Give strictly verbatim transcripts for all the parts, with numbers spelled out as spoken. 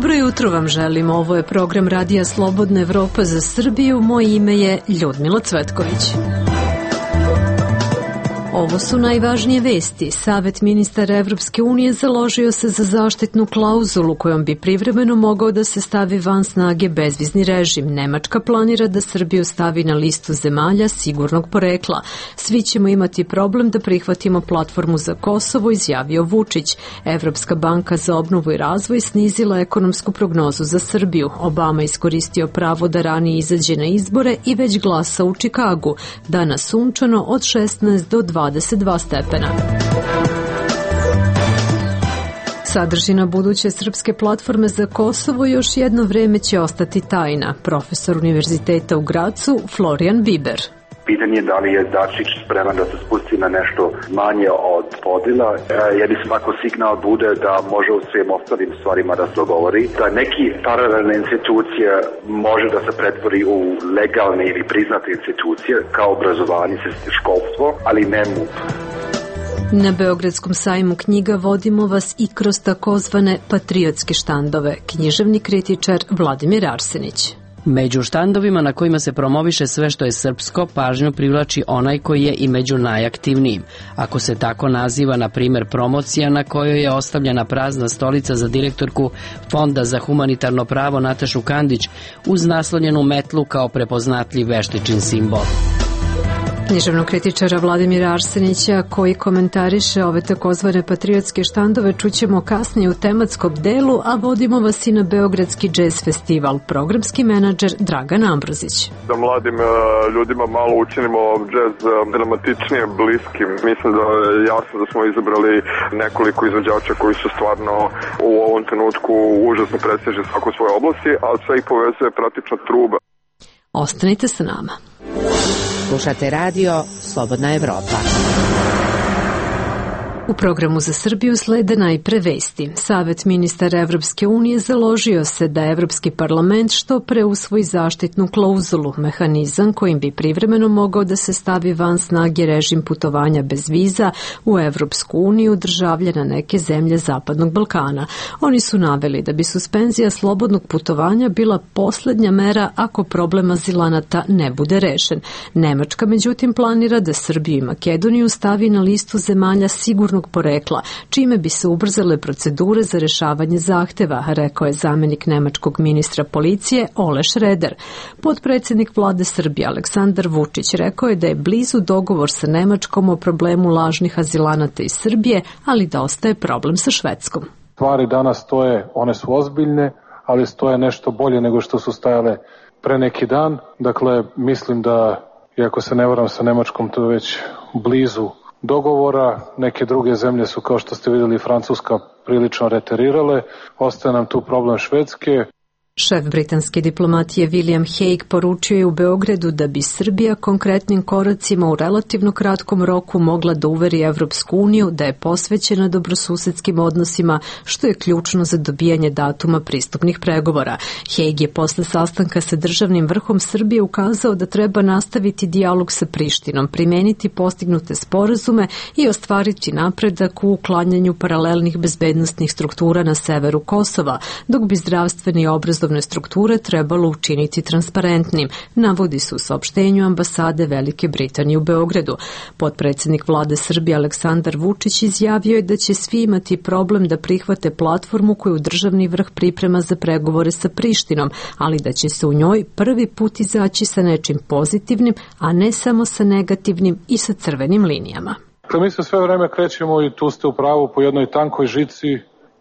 Dobro jutro vam želim, ovo je program Radija Slobodna Evropa za Srbiju, moje ime je Ljudmila Cvetković. Ovo su najvažnije vesti. Savet ministara Evropske unije založio se za zaštitnu klauzulu kojom bi privremeno mogao da se stavi van snage bezvizni režim. Nemačka planira da Srbiju stavi na listu zemalja sigurnog porekla. Svi ćemo imati problem da prihvatimo platformu za Kosovo, izjavio Vučić. Evropska banka za obnovu i razvoj snizila ekonomsku prognozu za Srbiju. Obama iskoristio pravo da ranije izađe na izbore i već glasa u Čikagu. Danas sunčano od šesnaest do dvadeset dva stepena. Sadržina buduće srpske platforme za Kosovo još jedno vreme će ostati tajna. Profesor Univerziteta u Gracu Florijan Biber. Pitanje je da li je Dačić spreman da se spusti na nešto manje od podela. Jedni svako signal bude da može u svim ostalim stvarima da se dogovori. Da neki paralelne institucije može da se pretvori u legalne ili priznate institucije kao obrazovanje, školstvo, ali ne M U P. Na Beogradskom sajmu knjiga vodimo vas i kroz takozvane patriotske štandove. Književni kritičar Vladimir Arsenić. Među štandovima na kojima se promoviše sve što je srpsko, pažnju privlači onaj koji je i među najaktivnijim. Ako se tako naziva, na primjer, promocija na kojoj je ostavljena prazna stolica za direktorku Fonda za humanitarno pravo Natašu Kandić uz naslonjenu metlu kao prepoznatljiv veštičin simbol. Književnog kritičara Vladimira Arsenića koji komentariše ove takozvane patriotske štandove čućemo kasnije u tematskom delu, a vodimo vas i na Beogradski džez festival. Programski menadžer Dragan Ambrozić. Da mladim ljudima malo učinimo džez dramatičnije, bliskim. Mislim da je jasno da smo izabrali nekoliko izvođača koji su stvarno u ovom trenutku užasno prestižni svako svoje oblasti, a sve ih povezuje praktično truba. Ostanite sa nama. Slušate radio Slobodna Evropa. U programu za Srbiju slede najpre vesti. Savet ministara Evropske unije založio se da Evropski parlament što pre usvoji zaštitnu klauzulu, mehanizam kojim bi privremeno mogao da se stavi van snage režim putovanja bez viza u Evropsku uniju državljana neke zemlje Zapadnog Balkana. Oni su naveli da bi suspenzija slobodnog putovanja bila poslednja mera ako problem azilanata ne bude rešen. Nemačka međutim planira da Srbiju i Makedoniju stavi na listu zemalja sigurnog porekla, čime bi se ubrzale procedure za rešavanje zahteva, rekao je zamenik nemačkog ministra policije Ole Šreder. Potpredsednik vlade Srbije Aleksandar Vučić rekao je da je blizu dogovor sa Nemačkom o problemu lažnih azilanata iz Srbije, ali da ostaje problem sa Švedskom. Stvari danas stoje, one su ozbiljne, ali stoje nešto bolje nego što su stajale pre neki dan. Dakle, mislim da, iako se ne varam sa Nemačkom, to je već blizu dogovora. Neke druge zemlje su, kao što ste vidjeli, Francuska prilično reterirale. Ostaje nam tu problem Švedske. Šef britanske diplomatije William Hague poručio je u Beogradu da bi Srbija konkretnim koracima u relativno kratkom roku mogla da uveri Evropsku uniju da je posvećena dobrosusedskim odnosima, što je ključno za dobijanje datuma pristupnih pregovora. Hague je posle sastanka sa državnim vrhom Srbije ukazao da treba nastaviti dijalog sa Prištinom, primeniti postignute sporazume i ostvariti napredak u uklanjanju paralelnih bezbednostnih struktura na severu Kosova, dok bi zdravstveni i obrazovni strukture trebalo učiniti transparentnim, navodi se u saopštenju ambasade Velike Britanije u Beogradu. Potpredsednik vlade Srbije Aleksandar Vučić izjavio je da će svi imati problem da prihvate platformu koju državni vrh priprema za pregovore sa Prištinom, ali da će se u njoj prvi put izaći sa nečim pozitivnim, a ne samo sa negativnim i sa crvenim linijama. Mi se sve vreme krećemo i tu ste u pravu po jednoj tankoj žici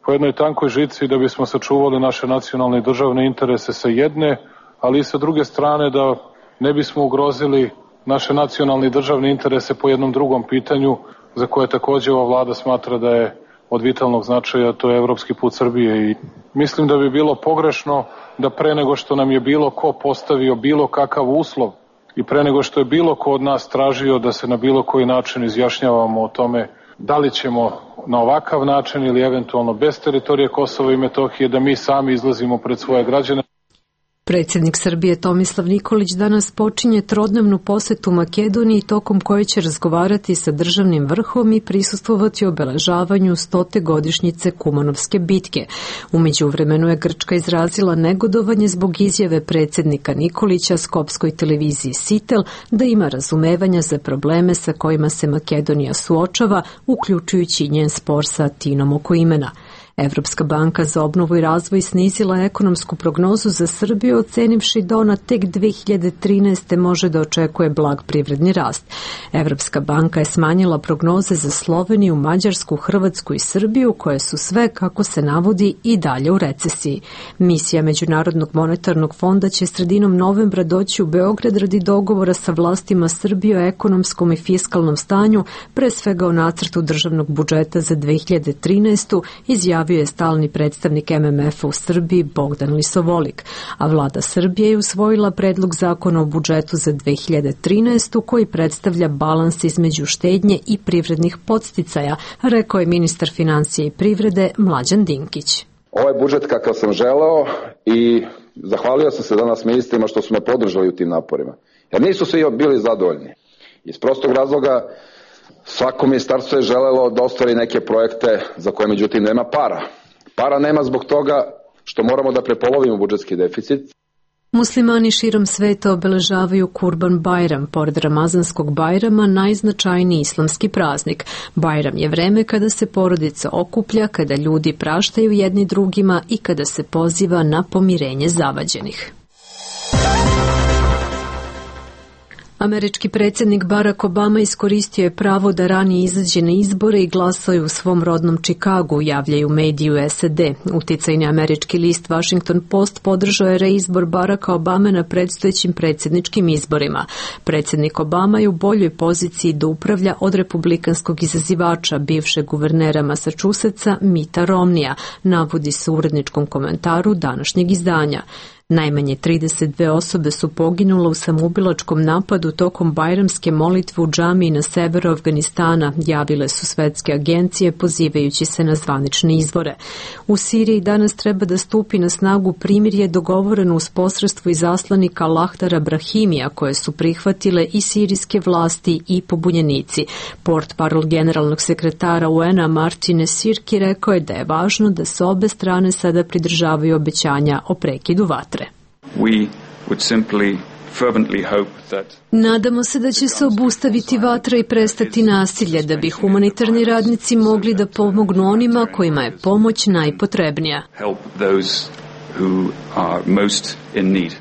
po jednoj tankoj žici da bismo sačuvali naše nacionalne i državne interese sa jedne, ali i sa druge strane da ne bismo ugrozili naše nacionalne i državne interese po jednom drugom pitanju za koje takođe ova vlada smatra da je od vitalnog značaja, to je evropski put Srbije. I mislim da bi bilo pogrešno da pre nego što nam je bilo ko postavio bilo kakav uslov i pre nego što je bilo ko od nas tražio da se na bilo koji način izjašnjavamo o tome da li ćemo na ovakav način ili eventualno bez teritorije Kosova i Metohije da mi sami izlazimo pred svoje građane. Predsjednik Srbije Tomislav Nikolić danas počinje trodnevnu posetu Makedoniji tokom koje će razgovarati sa državnim vrhom i prisustvovati obeležavanju stote godišnjice Kumanovske bitke. U međuvremenu je Grčka izrazila negodovanje zbog izjave predsjednika Nikolića skopskoj televiziji Sitel da ima razumevanja za probleme sa kojima se Makedonija suočava, uključujući njen spor sa Atinom oko imena. Evropska banka za obnovu i razvoj snizila ekonomsku prognozu za Srbiju, ocenivši da ona tek dve hiljade trinaeste. može da očekuje blag privredni rast. Evropska banka je smanjila prognoze za Sloveniju, Mađarsku, Hrvatsku i Srbiju, koje su sve, kako se navodi, i dalje u recesiji. Misija Međunarodnog monetarnog fonda će sredinom novembra doći u Beograd radi dogovora sa vlastima Srbije o ekonomskom i fiskalnom stanju, pre svega o nacrtu državnog budžeta za dve hiljade trinaestu. izjavio je stalni predstavnik M M F-a u Srbiji Bogdan Lisovolik, a vlada Srbije je usvojila predlog zakona o budžetu za dve hiljade trinaestu. koji predstavlja balans između štednje i privrednih podsticaja, rekao je ministar financija i privrede Mlađan Dinkić. Ovaj budžet kakav sam želeo i zahvalio sam se danas ministrima što su me podržali u tim naporima, jer nisu svi bili zadovoljni. Iz prostog razloga svako ministarstvo je želelo da ostvari neke projekte za koje međutim nema para. Para nema zbog toga što moramo da prepolovimo budžetski deficit. Muslimani širom sveta obeležavaju Kurban Bajram, pored Ramazanskog Bajrama najznačajniji islamski praznik. Bajram je vreme kada se porodica okuplja, kada ljudi praštaju jedni drugima i kada se poziva na pomirenje zavađenih. Američki predsjednik Barack Obama iskoristio je pravo da ranije izađe na izbore i glasao je u svom rodnom Čikagu, javljaju mediji u S A D. Uticajni američki list Washington Post podržao je reizbor Baracka Obame na predstojećim predsjedničkim izborima. Predsjednik Obama je u boljoj poziciji da upravlja od republikanskog izazivača, bivšeg guvernera Massachusettsa Mitta Romneya, navodi se u uredničkom komentaru današnjeg izdanja. Najmanje trideset dve osobe su poginule u samoubilačkom napadu tokom bajramske molitve u džamiji na severu Afganistana, javile su svetske agencije pozivajući se na zvanične izvore. U Siriji danas treba da stupi na snagu primirje dogovoreno uz posredstvo izaslanika Lahdara Brahimija, koje su prihvatile i sirijske vlasti i pobunjenici. Portparol generalnog sekretara U N-a Martine Sirki rekao je da je važno da se obe strane sada pridržavaju obećanja o prekidu vatre. We would simply fervently hope that Nadamo se da će se obustaviti vatra i prestati nasilje, da bi humanitarni radnici mogli da pomognu onima kojima je pomoć najpotrebnija. help those who are most in need.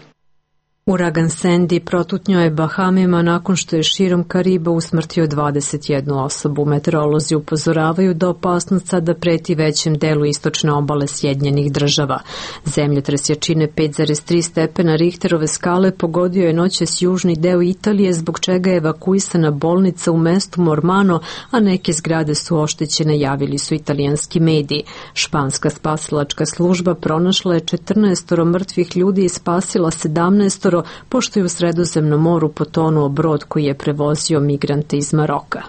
Uragan Sandy protutnjao je Bahamima nakon što je širom Kariba usmrtio dvadeset jednu osobu. Meteorolozi upozoravaju da opasnost sada preti većem delu istočne obale Sjedinjenih država. Zemljotres jačine pet zarez tri stepena Richterove skale pogodio je noćas južni deo Italije, zbog čega je evakuisana bolnica u mestu Mormano, a neke zgrade su oštećene, javili su italijanski mediji. Španska spasilačka služba pronašla je četrnaestoro mrtvih ljudi i spasila sedamnaestoro, pošto je u Sredozemnom moru potonuo brod koji je prevozio migrante iz Maroka.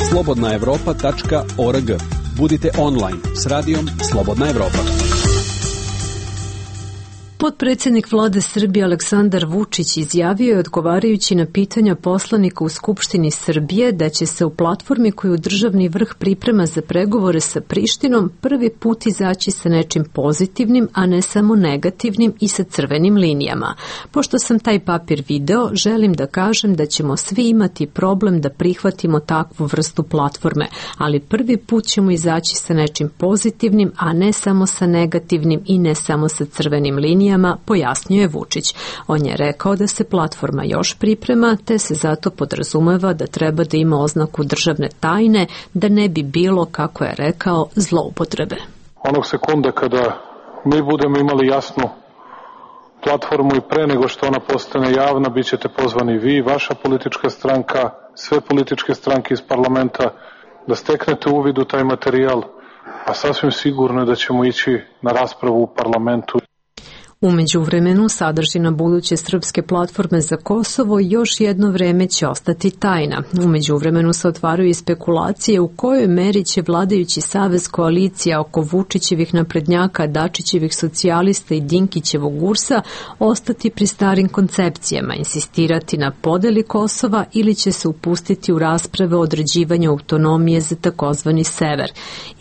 slobodna evropa tačka org. Budite online s radijom Slobodna Evropa. Potpredsjednik vlade Srbije Aleksandar Vučić izjavio je, odgovarajući na pitanja poslanika u Skupštini Srbije, da će se u platformi koju državni vrh priprema za pregovore sa Prištinom prvi put izaći sa nečim pozitivnim, a ne samo negativnim i sa crvenim linijama. Pošto sam taj papir video, želim da kažem da ćemo svi imati problem da prihvatimo takvu vrstu platforme, ali prvi put ćemo izaći sa nečim pozitivnim, a ne samo sa negativnim i ne samo sa crvenim linijama, pojasnio je Vučić. On je rekao da se platforma još priprema, te se zato podrazumeva da treba da ima oznaku državne tajne, da ne bi bilo, kako je rekao, zloupotrebe. Onog sekunda kada mi budemo imali jasnu platformu i pre nego što ona postane javna, bit ćete pozvani vi, vaša politička stranka, sve političke stranke iz parlamenta, da steknete uvid u taj materijal, a sasvim sigurno je da ćemo ići na raspravu u parlamentu. U međuvremenu, sadržina buduće srpske platforme za Kosovo još jedno vreme će ostati tajna. U međuvremenu se otvaraju i spekulacije u kojoj meri će vladajući savez koalicija oko Vučićevih naprednjaka, Dačićevih socijalista i Dinkićevog Ursa ostati pri starim koncepcijama, insistirati na podeli Kosova ili će se upustiti u rasprave o određivanju autonomije za takozvani sever.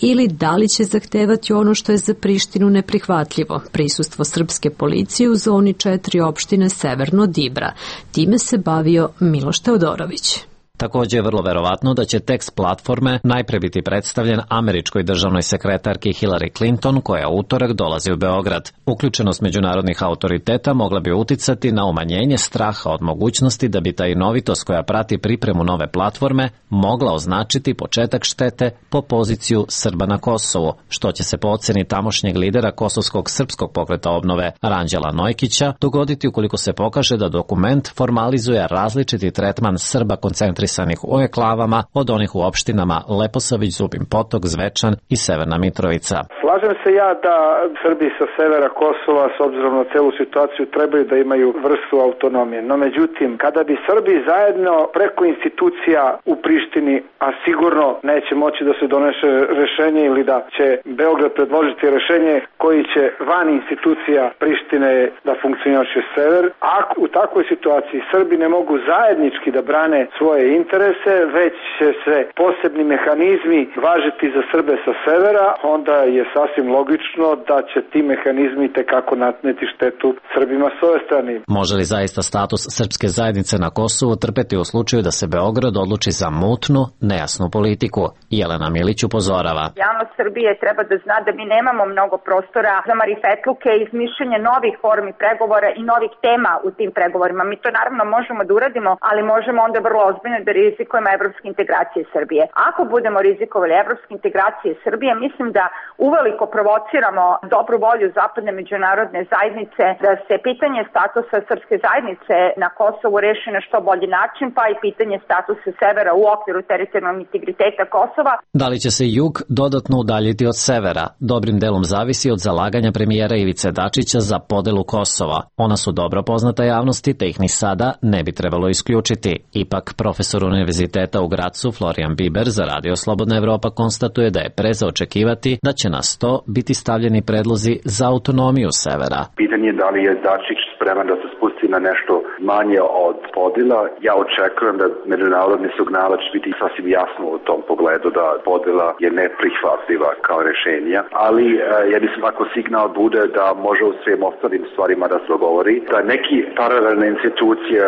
Ili da li će zahtevati ono što je za Prištinu neprihvatljivo, prisustvo srpske policije u zoni četiri opštine Severno Dibra. Time se bavio Miloš Teodorović. Također je vrlo verovatno da će tekst platforme najpre biti predstavljen američkoj državnoj sekretarki Hillary Clinton, koja u utorak dolazi u Beograd. Uključenost međunarodnih autoriteta mogla bi uticati na umanjenje straha od mogućnosti da bi tajnovitost koja prati pripremu nove platforme mogla označiti početak štete po poziciju Srba na Kosovu, što će se po oceni tamošnjeg lidera Kosovskog srpskog pokreta obnove Ranđela Nojkića dogoditi ukoliko se pokaže da dokument formalizuje različiti tretman Srba koncentrisanih u eklavama od onih u opštinama Leposavić, Zubin Potok, Zvečan i Severna Mitrovica. Slažem se ja da Srbi sa severa Kosova, s obzirom na celu situaciju, trebaju da imaju vrstu autonomije. No međutim, kada bi Srbi zajedno preko institucija u Prištini, a sigurno neće moći da se donese rešenje ili da će Beograd predložiti rešenje koji će van institucija Prištine da funkcioniše sever, ako u takvoj situaciji Srbi ne mogu zajednički da brane svoje interese, već će se posebni mehanizmi važiti za Srbe sa severa, onda je sasvim logično da će ti mehanizmi tekako natneti štetu Srbima s ove strane. Može li zaista status srpske zajednice na Kosovu trpeti u slučaju da se Beograd odluči za mutnu, nejasnu politiku? Jelena Milić upozorava. Javnost Srbije treba da zna da mi nemamo mnogo prostora za marifetluke i izmišljanje novih formi pregovora i novih tema u tim pregovorima. Mi to naravno možemo da uradimo, ali možemo onda vrlo ozbiljno da rizikujemo evropske integracije Srbije. Ako budemo rizikovali evropske integracije Srbije, mislim da uveliko provociramo dobru volju zapadne međunarodne zajednice da se pitanje statusa srpske zajednice na Kosovu reši na što bolji način, pa i pitanje statusa severa u okviru teritorijalnog integriteta Kosova. Da li će se jug dodatno udaljiti od severa? Dobrim delom zavisi od zalaganja premijera Ivice Dačića za podelu Kosova. Ona su dobro poznata javnosti, te ih ni sada ne bi trebalo isključiti. Ipak, profesor Univerziteta u Gracu Florian Biber za Radio Slobodna Evropa konstatuje da je pre za očekivati da će na sto biti stavljeni predlozi za autonomiju severa. Pitanje je da li je Dačić spreman da se spusti na nešto manje od podela. Ja očekujem da međunarodni signal će biti sasvim jasno u tom pogledu da podela je neprihvatljiva kao rešenja, ali ja mislim ako signal bude da može u svim ostalim stvarima da se dogovori, da neki paralelne institucije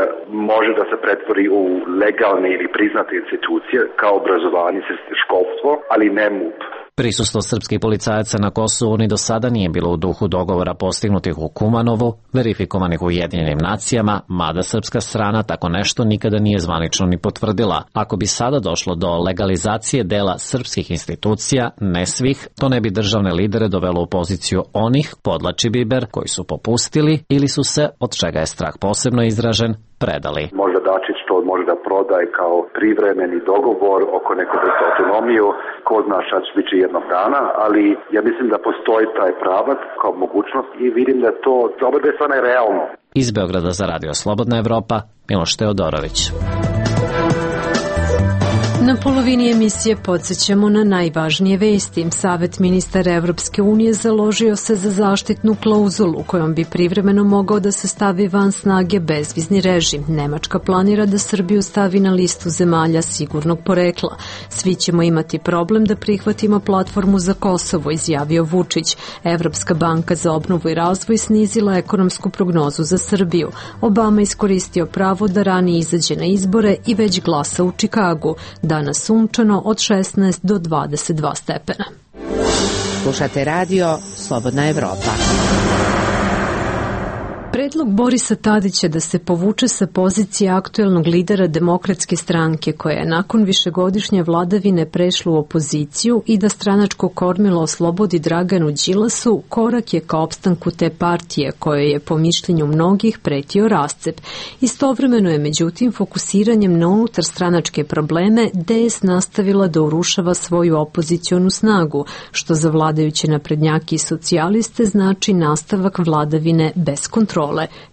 može da se pretvori u legalne ili priznate institucije kao obrazovanje, školstvo, ali ne M U P. Prisustvo srpskih policajaca na Kosovu ni do sada nije bilo u duhu dogovora postignutih u Kumanovu, verifikovanih u Ujedinjenim nacijama, mada srpska strana tako nešto nikada nije zvanično ni potvrdila. Ako bi sada došlo do legalizacije dela srpskih institucija, ne svih, to ne bi državne lidere dovelo u poziciju onih, podlači Biber, koji su popustili ili su se, od čega je strah posebno izražen, predali. Možda Dačić to može da prodaje kao privremeni dogovor oko nekog vrsta autonomiju, ko zna šta će biti jednog dana, ali ja mislim da postoji taj pravac kao mogućnost i vidim da to za oba dve strane realno. Iz Beograda za Radio Slobodna Evropa, Miloš Teodorović. Na polovini emisije podsjećamo na najvažnije vesti. Savet ministara Evropske unije založio se za zaštitnu klauzulu kojom bi privremeno mogao da se stavi van snage bezvizni režim. Nemačka planira da Srbiju stavi na listu zemalja sigurnog porekla. Svi ćemo imati problem da prihvatimo platformu za Kosovo, izjavio Vučić. Evropska banka za obnovu i razvoj snizila ekonomsku prognozu za Srbiju. Obama iskoristio pravo da ranije izađe na izbore i već glasa u Čikagu. Danas sunčano od šesnaest do dvadeset dva stepena. Slušate radio Slobodna Evropa. Predlog Borisa Tadića da se povuče sa pozicije aktuelnog lidera Demokratske stranke, koja je nakon višegodišnje vladavine prešla u opoziciju, i da stranačko kormilo oslobodi Draganu Đilasu, korak je ka opstanku te partije, kojoj je po mišljenju mnogih pretio rascep. Istovremeno je međutim fokusiranjem na unutar stranačke probleme D S nastavila da urušava svoju opozicionu snagu, što za vladajuće naprednjake i socijaliste znači nastavak vladavine bez kontrole.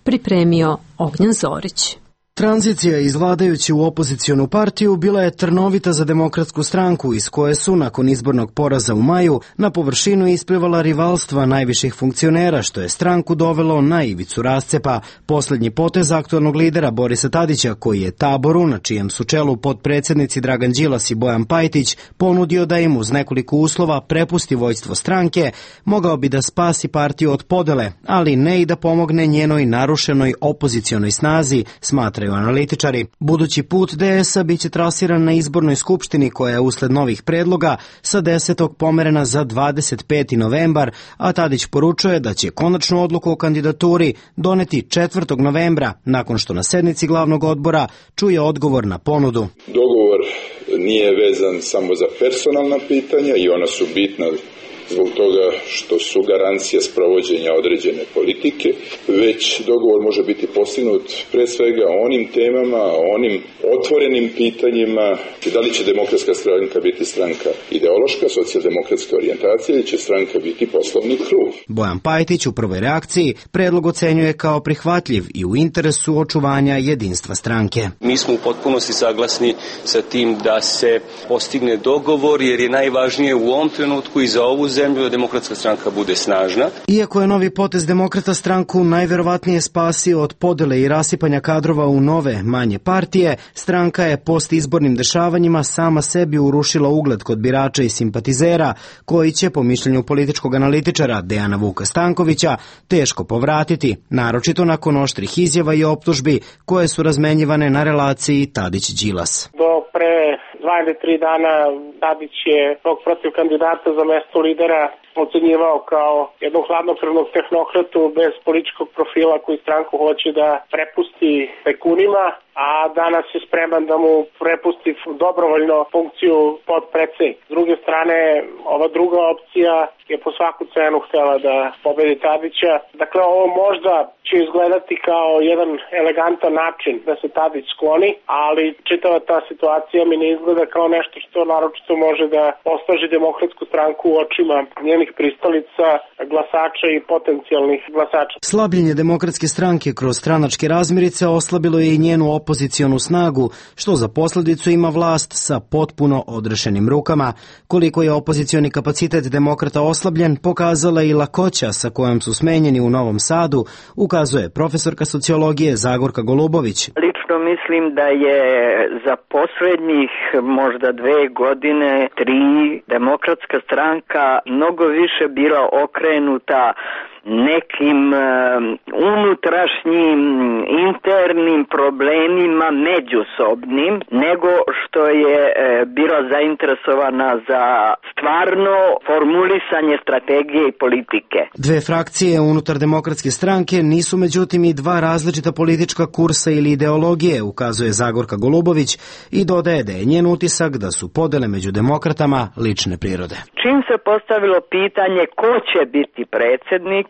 Pripremio Ognjan Zorić. Tranzicija iz vladajuće u opozicionu partiju bila je trnovita za Demokratsku stranku, iz koje su, nakon izbornog poraza u maju, na površinu isplivala rivalstva najviših funkcionera, što je stranku dovelo na ivicu rascepa. Poslednji potez aktuelnog lidera Borisa Tadića, koji je taboru, na čijem su čelu potpredsednici Dragan Đilas i Bojan Pajtić, ponudio da im uz nekoliko uslova prepusti vođstvo stranke, mogao bi da spasi partiju od podele, ali ne i da pomogne njenoj narušenoj opozicionoj snazi, smatraju analitičari. Budući put D S-a biće trasiran na izbornoj skupštini, koja je usled novih predloga sa desetog pomerena za dvadeset peti novembar, a Tadić poručuje da će konačnu odluku o kandidaturi doneti četvrtog novembra, nakon što na sednici glavnog odbora čuje odgovor na ponudu. Dogovor nije vezan samo za personalna pitanja i ona su bitna zbog toga što su garancija sprovođenja određene politike, već dogovor može biti postignut pre svega o onim temama, o onim otvorenim pitanjima, da li će Demokratska stranka biti stranka ideološka, socijaldemokratska orijentacija ili će stranka biti poslovni krug. Bojan Pajtić u prvoj reakciji predlog ocenjuje kao prihvatljiv i u interesu očuvanja jedinstva stranke. Mi smo u potpunosti saglasni sa tim da se postigne dogovor, jer je najvažnije u ovom trenutku i za ovu zemlju da Demokratska stranka bude snažna. Iako je novi potez Demokrata stranku najverovatnije spasio od podele i rasipanja kadrova u nove, manje partije, stranka je postizbornim dešavanjima sama sebi urušila ugled kod birača i simpatizera, koji će, po mišljenju političkog analitičara Dejana Vuka Stankovića, teško povratiti, naročito nakon oštrih izjava i optužbi koje su razmenjivane na relaciji Tadić-Đilas. Do pre dva ili tri dana Tadić je tog protiv kandidata za mesto lidera ocenjivao kao jednog hladnokrvnog tehnokratu bez političkog profila koji stranku hoće da prepusti tajkunima, a danas je spreman da mu prepusti dobrovoljno funkciju podpredsednika. S druge strane, ova druga opcija je po svaku cenu htela da pobedi Tadića. Dakle, ovo možda će izgledati kao jedan elegantan način da se Tadić skloni, ali čitava ta situacija mi ne izgleda kao nešto što naročito može da osnaži Demokratsku stranku u očima njenih pristalica, glasača i potencijalnih glasača. Slabljenje Demokratske stranke kroz stranačke razmirice oslabilo je i njenu opozicionu snagu, što za posledicu ima vlast sa potpuno odrešenim rukama. Koliko je opozicioni kapacitet Demokrata oslabljen, pokazala i lakoća sa kojom su smenjeni u Novom Sadu, ukazuje profesorka sociologije Zagorka Golubović. Lično mislim da je za poslednjih možda dve godine, tri, Demokratska stranka mnogo više bila okrenuta nekim uh, unutrašnjim internim problemima međusobnim, nego što je uh, bila zainteresovana za stvarno formulisanje strategije i politike. Dve frakcije unutar Demokratske stranke nisu međutim i dva različita politička kursa ili ideologije, ukazuje Zagorka Golubović i dodaje da je njen utisak da su podele među demokratama lične prirode. Čim se postavilo pitanje ko će biti predsjednik,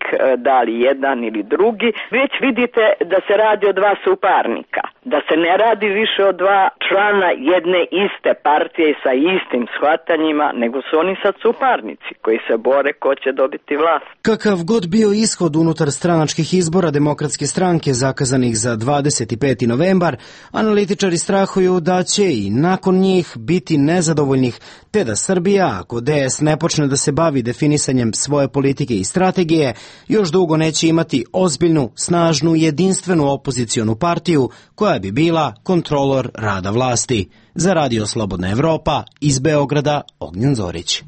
da li jedan ili drugi, već vidite da se radi o dva suparnika, da se ne radi više o dva člana jedne iste partije sa istim shvatanjima, nego su oni sad suparnici koji se bore ko će dobiti vlast. Kakav god bio ishod unutar stranačkih izbora Demokratske stranke zakazanih za dvadeset peti novembar, analitičari strahuju da će i nakon njih biti nezadovoljnih, te da Srbija, ako D S ne počne da se bavi definisanjem svoje politike i strategije, još dugo neće imati ozbiljnu, snažnu, jedinstvenu opozicionu partiju koja bi bila kontrolor rada vlasti. Za Radio Slobodna Evropa, iz Beograda, Ognjan Zorić.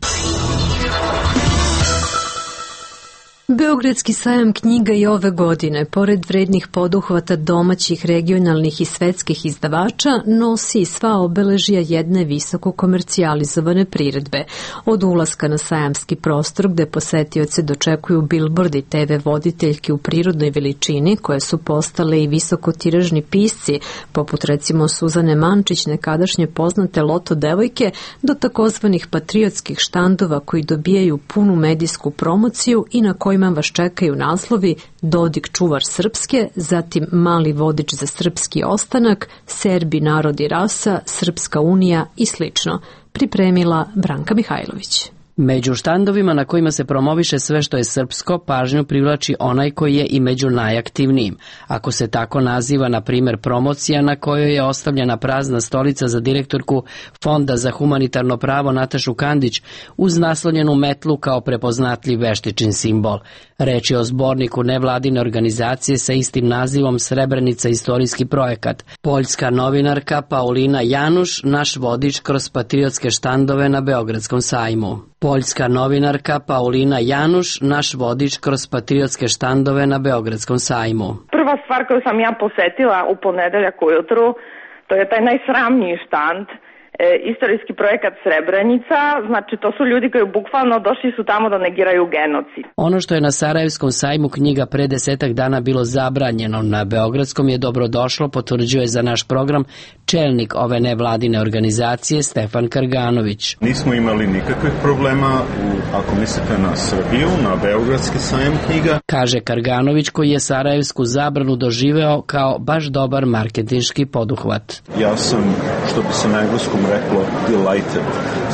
Beogradski sajam knjiga i ove godine, pored vrednih poduhvata domaćih, regionalnih i svetskih izdavača, nosi i sva obeležja jedne visoko komercijalizovane priredbe. Od ulaska na sajamski prostor, gde posetioce dočekuju bilbordi te ve voditeljki u prirodnoj veličini, koje su postale i visokotiražni pisci, poput recimo Suzane Mančić, nekadašnje poznate Loto devojke, do takozvanih patriotskih štandova koji dobijaju punu medijsku promociju i na kojima vas čekaju naslovi Dodik čuvar srpske, zatim Mali vodič za srpski ostanak, Serbi, narod i rasa, Srpska unija i slično. Pripremila Branka Mihajlović. Među štandovima na kojima se promoviše sve što je srpsko, pažnju privlači onaj koji je i među najaktivnijim. Ako se tako naziva, na primer, promocija na kojoj je ostavljena prazna stolica za direktorku Fonda za humanitarno pravo Natašu Kandić uz naslonjenu metlu kao prepoznatljiv veštičin simbol. Reč je o zborniku nevladine organizacije sa istim nazivom Srebrenica istorijski projekat. Poljska novinarka Paulina Januš, naš vodič kroz patriotske štandove na Beogradskom sajmu. Poljska novinarka Paulina Januš, naš vodič kroz patriotske štandove na Beogradskom sajmu. Prva stvar koju sam ja posetila u ponedeljak ujutru, to je taj najsramniji štand, e, istorijski projekat Srebrenica, znači to su ljudi koji bukvalno došli su tamo da negiraju genocid. Ono što je na Sarajevskom sajmu knjiga pre desetak dana bilo zabranjeno, na Beogradskom je dobrodošlo, potvrđuje za naš program čelnik ove nevladine organizacije Stefan Karganović. Nismo imali nikakvih problema, u, ako mislite na Srbiju, na Beogradski sajam knjiga. Kaže Karganović, koji je Sarajevsku zabranu doživeo kao baš dobar marketinški poduhvat. Ja sam, što bi se na engleskom reklo, delighted,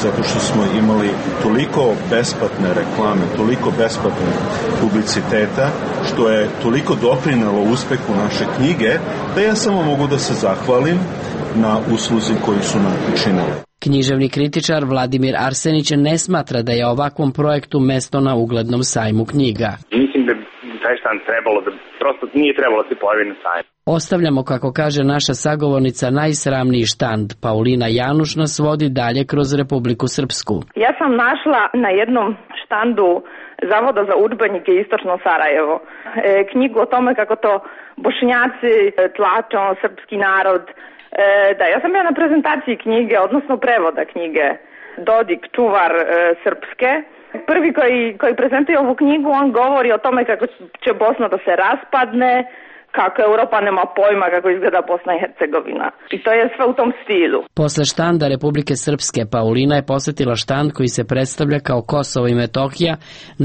zato što smo imali toliko besplatne reklame, toliko besplatne publiciteta, što je toliko doprinelo uspehu naše knjige, da ja samo mogu da se zahvalim na usluzi koju su nam učinili. Književni kritičar Vladimir Arsenić ne smatra da je ovakvom projektu mesto na uglednom sajmu knjiga. Mislim da taj štand trebalo da, prosto nije trebalo da se pojavi na sajmu. Ostavljamo, kako kaže naša sagovornica, najsramniji štand. Paulina Januš nas vodi dalje kroz Republiku Srpsku. Ja sam našla na jednom štandu Zavoda za udžbenike Istočno Sarajevo e, knjigu o tome kako to Bošnjaci tlače ono, srpski narod. E, da, ja sam ja na prezentaciji knjige, odnosno prevoda knjige Dodik čuvar e, srpske. Prvi koji, koji prezentuje ovu knjigu, on govori o tome kako će Bosna da se raspadne, kako Europa nema pojma kako izgleda Bosna i Hercegovina. I to je sve u tom stilu. Posle štanda Republike Srpske, Paulina je posetila štand koji se predstavlja kao Kosovo i Metohija,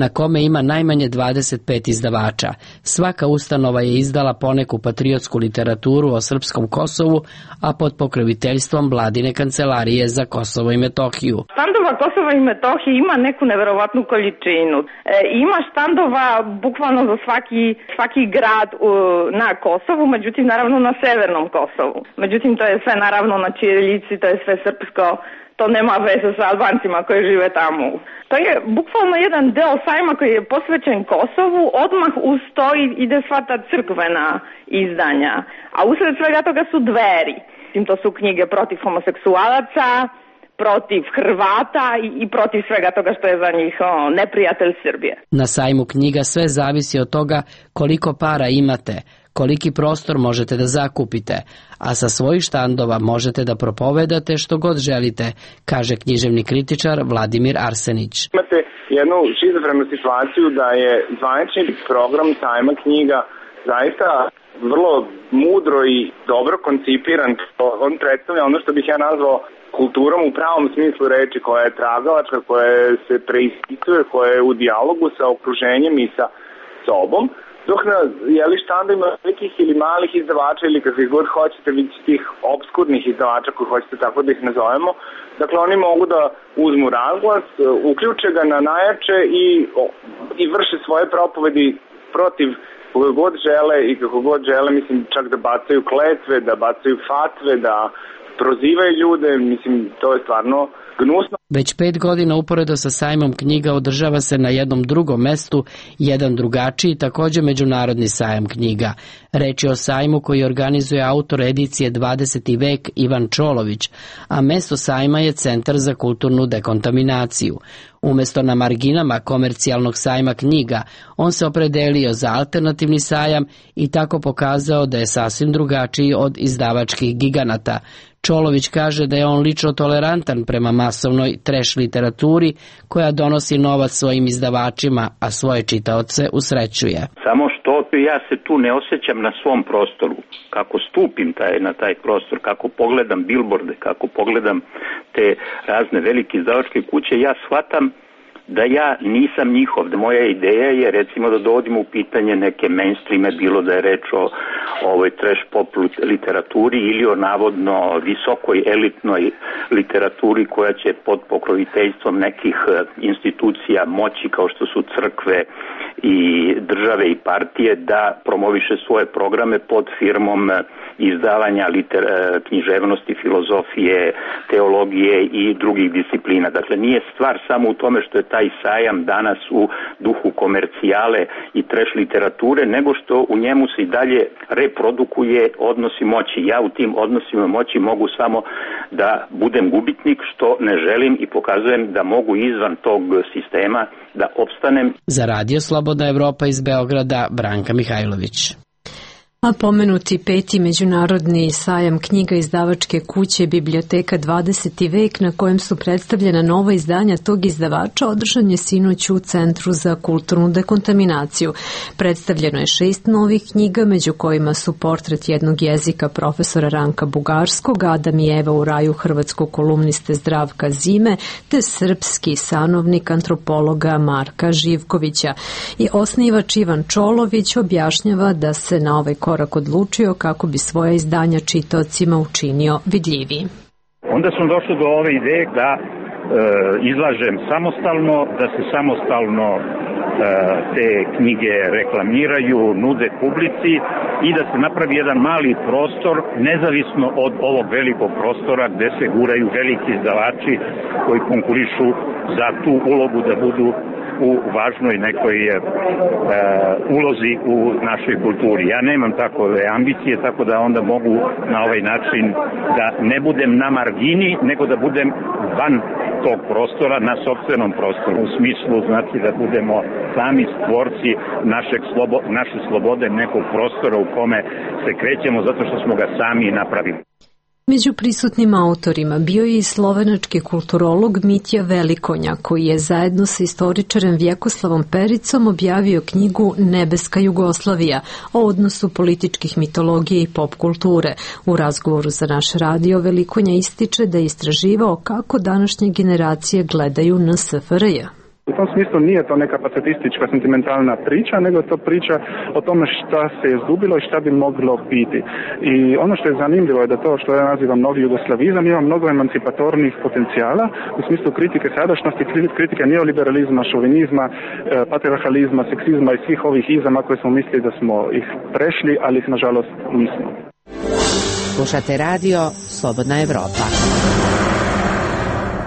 na kome ima najmanje dvadeset pet izdavača. Svaka ustanova je izdala poneku patriotsku literaturu o srpskom Kosovu, a pod pokroviteljstvom Vladine kancelarije za Kosovo i Metohiju. Štandova Kosova i Metohije ima neku neverovatnu količinu. E, ima štandova bukvalno za svaki, svaki grad u na Kosovu, međutim naravno na severnom Kosovu. Međutim to je sve naravno na ćirilici, to je sve srpsko, to nema veze sa Albancima koji žive tamo. To je bukvalno jedan deo sajma koji je posvećen Kosovu, odmah uz to ide sva ta crkvena izdanja, a usred svega toga su dveri. To su knjige protiv homoseksualaca, protiv Hrvata i, i protiv svega toga što je za njih o, neprijatelj Srbije. Na sajmu knjiga sve zavisi od toga koliko para imate, koliki prostor možete da zakupite, a sa svojih štandova možete da propovedate što god želite, kaže književni kritičar Vladimir Arsenić. Imate jednu šizofrenu situaciju da je zvanični program sajma knjiga zaista vrlo mudro i dobro koncipiran. On predstavlja ono što bih ja nazvao kulturom u pravom smislu reči, koja je tragalačka, koja se preispituje, koja je u dijalogu sa okruženjem i sa sobom. Dok na jeli štandima velikih ili malih izdavača ili kakvih god hoćete, vidite tih obskurnih izdavača koji hoćete tako da ih nazovemo, dakle oni mogu da uzmu razglas, uključe ga na najjače i, i vrše svoje propovedi protiv kako god žele i kako god žele, mislim čak da bacaju kletve, da bacaju fatve, da prozivaju ljude, mislim to je stvarno gnusno. Već pet godina uporedo sa sajmom knjiga održava se na jednom drugom mestu jedan drugačiji, takođe međunarodni sajam knjiga. Reč je o sajmu koji organizuje autor edicije dvadeseti vek Ivan Čolović, a mesto sajma je Centar za kulturnu dekontaminaciju. Umesto na marginama komercijalnog sajma knjiga, on se opredelio za alternativni sajam i tako pokazao da je sasvim drugačiji od izdavačkih giganata. Čolović kaže da je on lično tolerantan prema masovnoj trash literaturi koja donosi novac svojim izdavačima, a svoje čitaoce usrećuje. Samo što ja se tu ne osjećam na svom prostoru. Kako stupim taj, na taj prostor, kako pogledam bilborde, kako pogledam te razne velike izdavačke kuće, ja shvatam da ja nisam njihov. Da moja ideja je recimo da dovodimo u pitanje neke mainstreame, bilo da je reč o ovoj trash pop literaturi ili o navodno visokoj elitnoj literaturi koja će pod pokroviteljstvom nekih institucija moći kao što su crkve i države i partije da promoviše svoje programe pod firmom izdavanja liter, književnosti, filozofije, teologije i drugih disciplina. Dakle, nije stvar samo u tome što je taj sajam danas u duhu komercijale i trash literature, nego što u njemu se i dalje reprodukuje odnosi moći. Ja u tim odnosima moći mogu samo da budem gubitnik, što ne želim, i pokazujem da mogu izvan tog sistema da opstanem. Za Radio Slobodna Evropa iz Beograda, Branka Mihajlović. A pomenuti peti međunarodni sajam knjiga izdavačke kuće Biblioteka dvadeseti vek, na kojem su predstavljena nova izdanja tog izdavača, održan je sinoć u Centru za kulturnu dekontaminaciju. Predstavljeno je šest novih knjiga, među kojima su Portret jednog jezika profesora Ranka Bugarskog, Adam i Eva u raju hrvatskog kolumniste Zdravka Zime, te Srpski sanovnik antropologa Marka Živkovića. I osnivač Ivan Čolović objašnjava da se na ovaj korak odlučio kako bi svoja izdanja čitaocima učinio vidljiviji. Onda smo došli do ove ideje da e, izlažem samostalno, da se samostalno e, te knjige reklamiraju, nude publici i da se napravi jedan mali prostor nezavisno od ovog velikog prostora gde se guraju veliki izdavači koji konkurišu za tu ulogu da budu u važnoj nekoj e, ulozi u našoj kulturi. Ja nemam takove ambicije, tako da onda mogu na ovaj način da ne budem na margini, nego da budem van tog prostora, na sopstvenom prostoru. U smislu, znači, da budemo sami stvorci našeg slobo, naše slobode, nekog prostora u kome se krećemo zato što smo ga sami napravili. Među prisutnim autorima bio je i slovenački kulturolog Mitja Velikonja, koji je zajedno sa istoričarem Vjekoslavom Pericom objavio knjigu Nebeska Jugoslavija o odnosu političkih mitologije i pop kulture. U razgovoru za naš radio Velikonja ističe da je istraživao kako današnje generacije gledaju na S F R J. U tom smislu nije to neka pacifistička, sentimentalna priča, nego je to priča o tome šta se je izgubilo i šta bi moglo biti. I ono što je zanimljivo je da to što ja nazivam novi jugoslavizam ima mnogo emancipatornih potencijala u smislu kritike sadašnjosti, kritike neoliberalizma, šovinizma, patriarhalizma, seksizma i svih ovih izama koje smo mislili da smo ih prešli, ali ih nažalost nismo. Slušate radio Slobodna Evropa.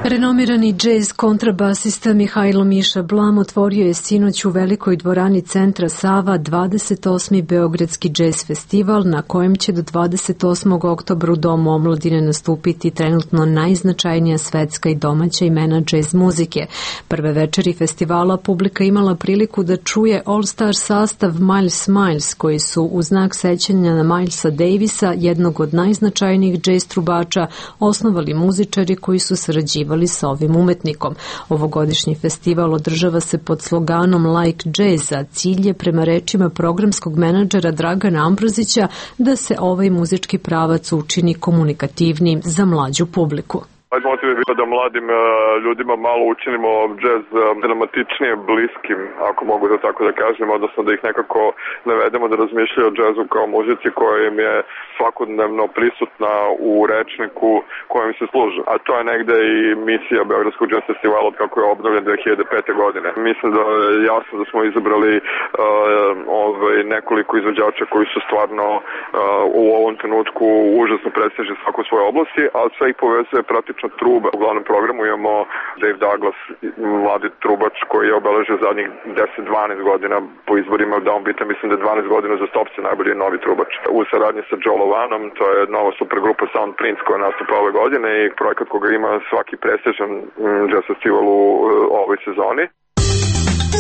Renomirani džez kontrabasista Mihajlo Miša Blam otvorio je sinoć u velikoj dvorani Centra Sava dvadeset osmi Beogradski džez festival, na kojem će do dvadeset osmog oktobra u Domu omladine nastupiti trenutno najznačajnija svetska i domaća imena džez muzike. Prve večeri festivala publika imala priliku da čuje all-star sastav Miles Miles, koji su u znak sećanja na Milesa Davisa, jednog od najznačajnijih džez trubača, osnovali muzičari koji su sarađivali sa ovim umetnikom. Ovogodišnji festival održava se pod sloganom Like Jazz, a cilj je, prema rečima programskog menadžera Dragana Ambrozića, da se ovaj muzički pravac učini komunikativnim za mlađu publiku. Motiv je bilo da mladim uh, ljudima malo učinimo džez uh, dramatičnije bliskim, ako mogu da tako da kažem, odnosno da ih nekako navedemo da razmišljaju o džezu kao muzici koja im je svakodnevno prisutna u rečniku kojim se služe. A to je negde i misija Beogradskog džez festivala od kako je obnovljen dve hiljade pete. godine. Mislim da je jasno da smo izabrali uh, ovaj, nekoliko izvođača koji su stvarno uh, u ovom trenutku užasno prestižni svako svoje oblasti, ali sve ih povezuje prati odlična truba. U glavnom programu imamo Dave Douglas, mladi trubač koji je obeležio zadnjih deset do dvanaest godina po izborima Downbeata, mislim da je dvanaest godina za stopce najbolji novi trubač. U saradnji sa Joe Lovanom, to je nova supergrupa Sound Prince koja nastupa ove godine i projekat koga ima svaki prestižan jazz festival u ovoj sezoni.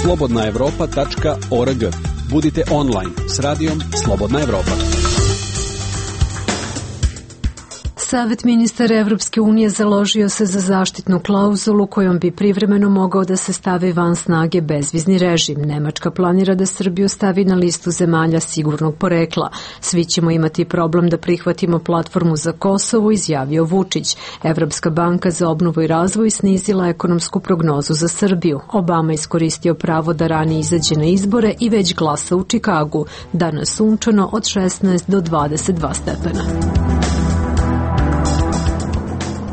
slobodna evropa tačka org. Budite online s radijom Slobodna Evropa. Savet ministara Evropske unije založio se za zaštitnu klauzulu kojom bi privremeno mogao da se stavi van snage bezvizni režim. Nemačka planira da Srbiju stavi na listu zemalja sigurnog porekla. Svi ćemo imati problem da prihvatimo platformu za Kosovo, izjavio Vučić. Evropska banka za obnovu i razvoj snizila ekonomsku prognozu za Srbiju. Obama iskoristio pravo da ranije izađe na izbore i već glasa u Čikagu. Danas sunčano od šesnaest do dvadeset dva stepena.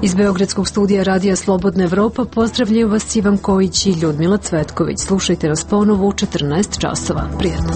Iz Beogradskog studija Radija Slobodna Evropa pozdravljaju vas Ivan Kojić i Ljudmila Cvetković. Slušajte nas ponovo u četrnaest časova. Prijetno.